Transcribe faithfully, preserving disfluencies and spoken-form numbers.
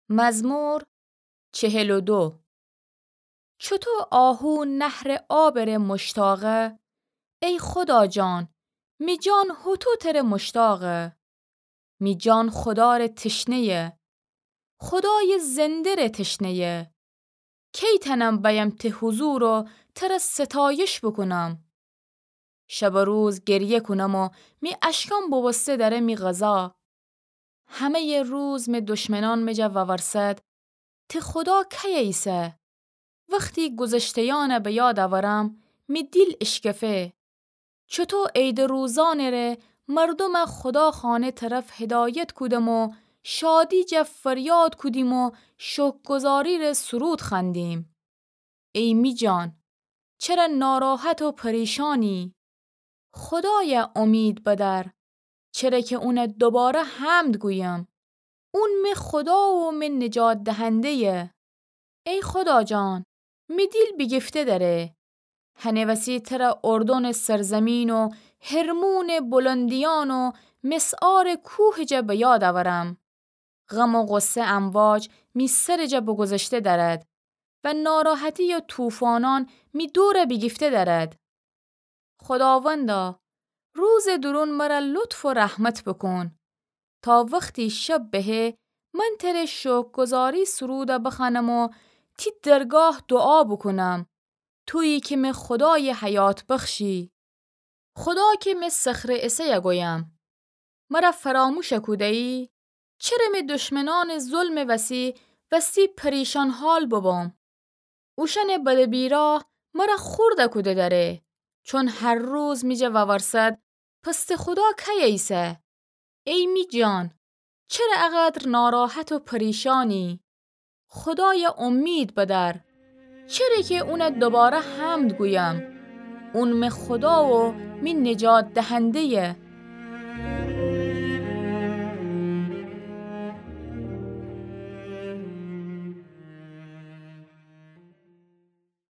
مزمور چهل و دو. چوطو آهو نهرٚ آبٚ ره مشتاقه، ای خدا جان، می جان هوطو تره مشتاقه. می جان خدا ره تشنه‌یه، خدایٚ زنده ره تشنه‌یه. کی تنم بأیم ته حضور و تره ستایش بوکونم؟ شب و روز گریه کونم و می اشکان بوبوسته دره می غذا. همه‌یٚ روز می دشمنان می جا وورسد، ته خدا کیه ایسه؟ وختی گذشته‌یأن به یاد اورم، می دیل اشکفه. چوطو عیدٚ روزأنٚ ره مردومه خدا خانه طرف هدایت کودم و شادی جا فریاد کودیم و شکرگزاری ره سرود خوأندیم. ای می جان، چره ناراحت و پریشانی؟ خدایه امید بدأر، چره که اونه دوباره حمد گویم. اون می خدا و می نجات دهنده‌یه. ای خدا جان، می دیل بیگیفته دره. هنٚ وسی تره اردنٚ سرزمین و حرمونٚ بلندیأن و مسعارٚ کوهٚ جا به یاد اورم. غم و غصه امواج می سرٚ جا بگذشته دأرد و ناراحتی و طوفانأن می دور بیگیفته دأرد. خداوندا، روزٚ دورون مره لطف و رحمت بوکون، تا وختی شب بهه من تره شکرگزاری سروده بخوأنم و تی درگاه دوعا بوکونم، تویی که می خدایٚ حیات بخشی. خدا که می صخرٚ اسه‌یه گویم، مره فراموش کوده‌یی؟ چره می دشمنأنٚ ظلمٚ وسی وستی پریشان حال ببم؟ اوشأنٚ بده بیراه مره خورد کوده دره، چون هر روز می جا وورسد، پس ته خدا کیه ایسه؟ ای می جان، چره اقدر ناراحت و پریشانی؟ خدایه امید بدأر، چره که اونه دوباره حمد گویم. اون می خدا و می نجات دهنده‌یه.